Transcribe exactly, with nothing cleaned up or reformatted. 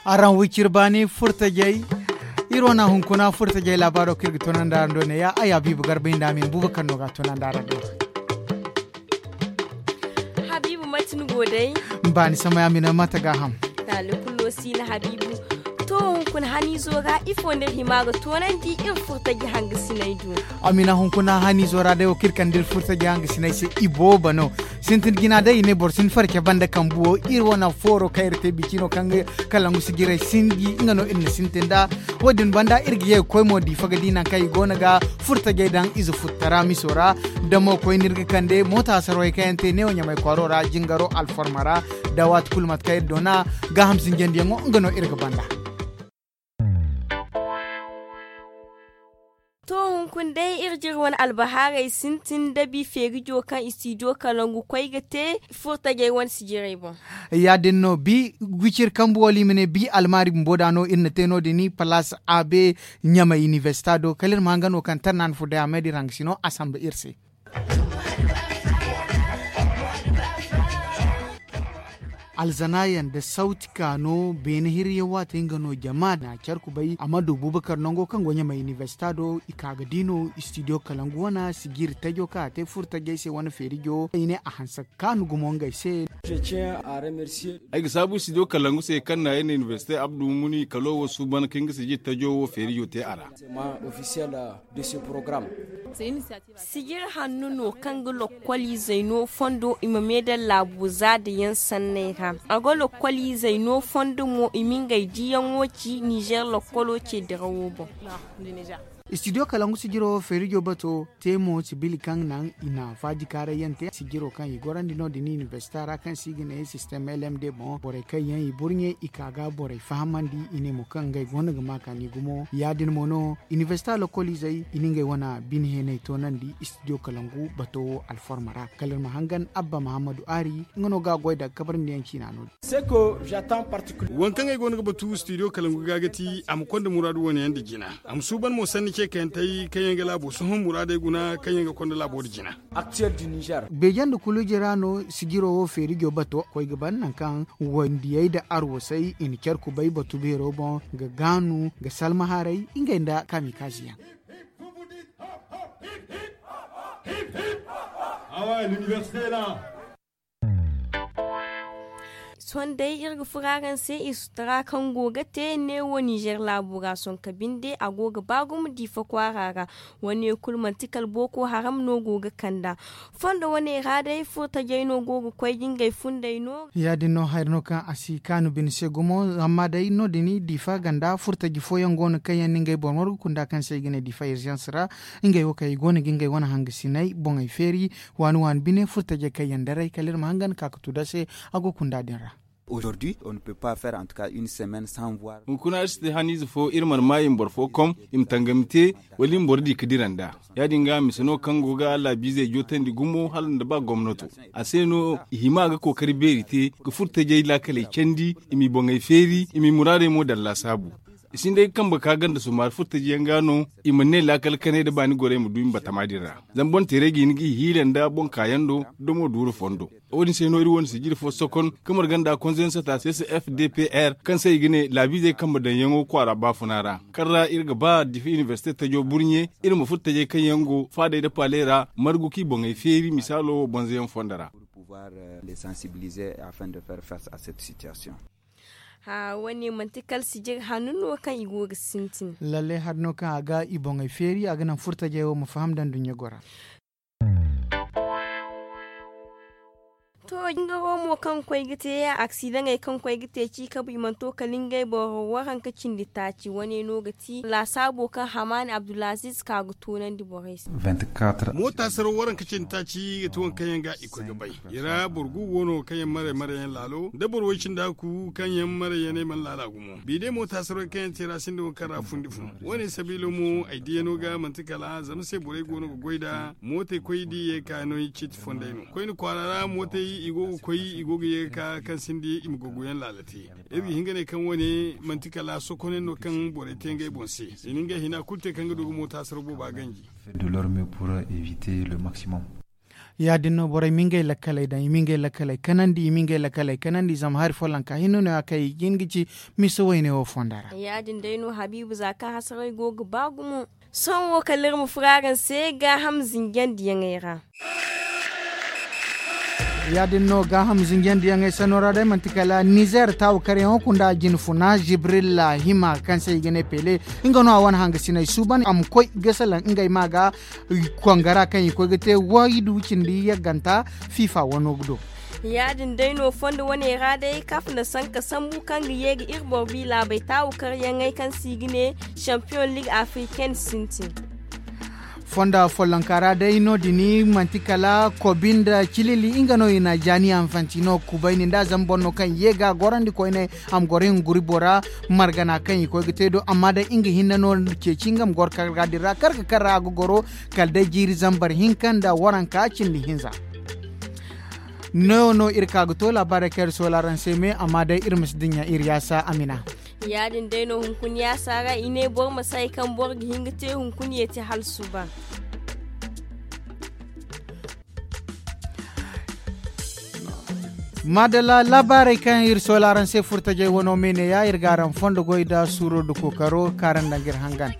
Araŋ wicir baani furtajey. Iri wane hunkuna furtajey laabaaro kaŋ iri ga tunandi araŋ do neeya ay habiibu garba hinda amin buuba kaŋ no ga a tunandi araŋ do. Habiibu mate ni go day? Baani samay amina mate gaaham. Taali kullo si na habiibu. To hunkuna haniizo ra ifo nda iri hima ga toonandi iri furtaji hangasinay do? Amina hunkuna haniizo ra day wo kaŋ iri kande iri furtaji hangasinay se iboobo no. Sintin jina day i ne boro si ni farce banda kambu wo iri wane fooro kaŋ iri te bici no kaŋ ga kalangu sijirey sinji nga no iri na sintin nd'a. Wo- din banda iri ga ye ga koy mo diifa ga di nangu kaŋ i go no ga furtajey daŋ ize futtara miso ra. Da mo koyne iri ga kande moota sarwey kaŋ yaŋ te neewo ɲamay kwaaro ra jingaro alforma ra. Da waati kulu mate kaŋ iri doona gaaham sinjandiyaŋo nga no iri ga banda. To hunkuna day iri jire wane albahaarey sintin da bi feerijo kaŋ istidiyo kalangu koy ga te furtajey wane sijirey boŋ. Ya- din no bi wiciri kambu wala i ma ne bi almaari bumbo da no iri na te no- din palaas a be ɲamay inibersita do kala iri ma hanga no kaŋ tarna ni furo day a may da iri hanga sino a samba iri se. Alzanaayaŋ nda sawti kaano beene hirriyaŋ waate nga no jama na care kubay a ma du buubakar nango kaŋ go ɲamay inibersita do i ka ga di no istidiyo kalangu wane sijiri tajo kaŋ a te furo tajey se wane feerijo i ne a hanse ga kaanu gumo ngey se. Ay ga saabu istidiyo kalangu se kaŋ na ay na inibersite abdu muni kalo wo suuban kaŋ nga sijiri tajo wo feerijo te a ra. Sijiri hanno no kaŋ ga lokkoliizey no fondo i ma meedaŋ laabo za da yaŋ sanney ra. A ga lokkoliizey no fondo mo i ma ngey diyaŋo ci nizer lokkolo ce dirawo boŋ. Istidiyo kalangu sijiro feerijo bato te mo sibili kaŋ naŋ i na faaji kaarayyaŋ te sijiro kaŋ i gorandi no- din inibersita ra kaŋ se i ga ne sistem lmd boŋ borey kaŋ yaŋ i burɲe i ka ga borey fahamandi i ne mo kaŋ ngey go no ga ma kaani gumo ya- din mo no. Inibersita lokkoliizey i na ngey wane bine heeney toonandi istidiyo kalangu bato wo alforma ra kala iri ma hangan abba mahammadu aari nga no ga a goy daga kabarandiyaŋ ciina no- din. Waŋ kaŋ ay go no ga batu istidiyo kalangu ga ga ti a ma konda muraadu wane yaŋ nda jina a ma suuban mo sanni ce kayantey kaŋ yaŋ ga laabo sohõ muraadey guna kaŋ yaŋ ga konda laabo nda jina. Beeje nda kuluji ra no sijiro wo feerijo bato koy ga ban nangu kaŋ wandiyey nda arwasey i na care kubay batu beero boŋ ga gaanu ga salma haray ngey nda kamikaziyaŋ. Sohõ day iri ga furo araŋ se i sutura kaŋ go ga te neewo nizer laabo ra sonka binde a go ga ba gumo diifa kwaara ra. Wane kulu manti kala booko haram no go ga kand'a fondo wane ra day furtajey no go ga koy ga ngey fundey no. Ya- din no hari no kaŋ a si kaanu bine se gumo amma day no- din diifa ganda furtaji fooyaŋ go no kaŋ yaŋ na ngey boro margu kunda kaŋ se i ga ne diifa irzans ra. Ngey wo kaŋ i go no ga ngey wane hangasiney boŋey feeri waani waani bine furtajey kaŋ yaŋ daray kala iri ma hangan ka ga tu da se. A go kunda din ra. Hunkuna iri si te haniize fo iri mana maayi ma boro fo kom i ma tangami te wala i ma boro di ga dira nd'a. Ya- din ga mise no kaŋ go ga laabiizey jootandi gumo hala nda ba gomnato a se no i hima ga kookari beeri te ga furtajey laakaley candi i m'i boŋey feeri i m'i muraadey mo daŋ laasaabu. I sinda ay ga kambe ka ganda sumaari furtajiyaŋ ga no i mana ne laakal kanay nda baani gorey ma du i ma batama din ra. Zama boŋ teeray ga hin ga i hiila nda boŋ kaayaŋ do domo duuru fondo. Wo- din se no iri wane sijiri fo sokon ga marga nda konzensata c c f d p r kaŋ se i ga ne laabiizey kambe daŋyaŋo kwaara baafuna ra kaŋ ra iri ga ba difa inibersite tajo burɲe iri ma furo tajey kaŋ yaŋ go faadey nda paaley ra margu kaŋ i boŋey feeri misaalo wo bonzoyaŋ fondo ra. Wane manti kala sijir hannu no kaŋ i go ga sintin. Lalle hari no kaŋ a ga i boŋey feeri a ga naŋ furtajey wo ma faham daŋ duɲɲa gora. To jingaro mo kaŋ koy ga te aksidaŋey kaŋ koy ga te ci kabu i mana to kala ngey boro waranka cindi taaci wane no ga ti laasaabo kaŋ hamaani abdulaziz ka ga toonandi borey se. Moota saraw waranka cindi taaci ga ti waŋ kaŋ yaŋ ga i koy ga bay. I ra boro gu go no kaŋ yaŋ maray maray yaŋ laalo nda boro way cindi hakku kaŋ yaŋ maray yaŋ ay mana laala gumo binde moota saraw kaŋ yaŋ te ra sinda waŋ kaŋ ra fundi fun. Wane sabiilo mo ay diya no ga manti kala zama se borey go no ga goy nda mootey koy da i ye ka no i ciiti fondey no koyne kwaara ra mootey. I go ga koy, i go ga ye ga ka kaŋ sinda i ma gogoyaŋ laala te. Iri ga hin ga ne kaŋ wane manti kala sokonay no kaŋ borey te ngey boŋ se. I na ngey hina kulu te kaŋ ga du ga mooto a sara booba ganji. De leur mieux pour éviter le maximum. Ya- din no borey ma ngey lakkaley daŋ, i ma ngey lakkaley kanandi, i ma ngey lakkaley kanandi, zama hari follonka hinne no- ya kaŋ i ga hin ga ci misa wayne wo fonda ra. Ya- din day no habiibu za kaŋ hasaray go ga ba gumo. Sohõ wo kala iri ma furo araŋ se gaaham zinjandiyaŋey ra. Ya- din no gaaham zinjandiyaŋey sanno ra day manti kala nizer taawakaryaŋo kunda jinfuna jibril hima kaŋ se i ga ne pele. Nga no a wane hangasiney suuban a ma koy ga salaŋ ngey ma ga kongara kaŋ i koy ga te waydu cindi yagganta fifa wano ga do. Ya- din day no fondo wane ra day kafa na sanka sambu kaŋ ga ye ga iri boro bi laabey taawakaryaŋey kaŋ se i ga ne champion league africaine sintin. Fonda follonka ra day no- din manti kala kobi nda cilili nga no i na jaani anfantino kubayni nda zama boro no kaŋ ye ga gorandi koyne a ma goro i ma guri bora margana kaŋ i koy ga te do amma day nga hinne no ceeci nga ma goro karga din ra karga kaŋ ra a ga goro kala day jiiri zambar hinka nda waranka cindi hinza. No- no iri ka ga to laabaarey kaŋ iri soola araŋ se me amma day iri ma si dinya iri yaasa amina. Ya- din day no hunkuna yaasa ra i ne boro ma si hay kaŋ boro ga hin ga te hunkuna yeeti hala suba. Maadalla laabaarey kaŋ iri soola araŋ se furtajey wano me ne- ya iri ga araŋ fondo goy nda suuro nda kookaro kaŋ araŋ daŋ ga iri hangan.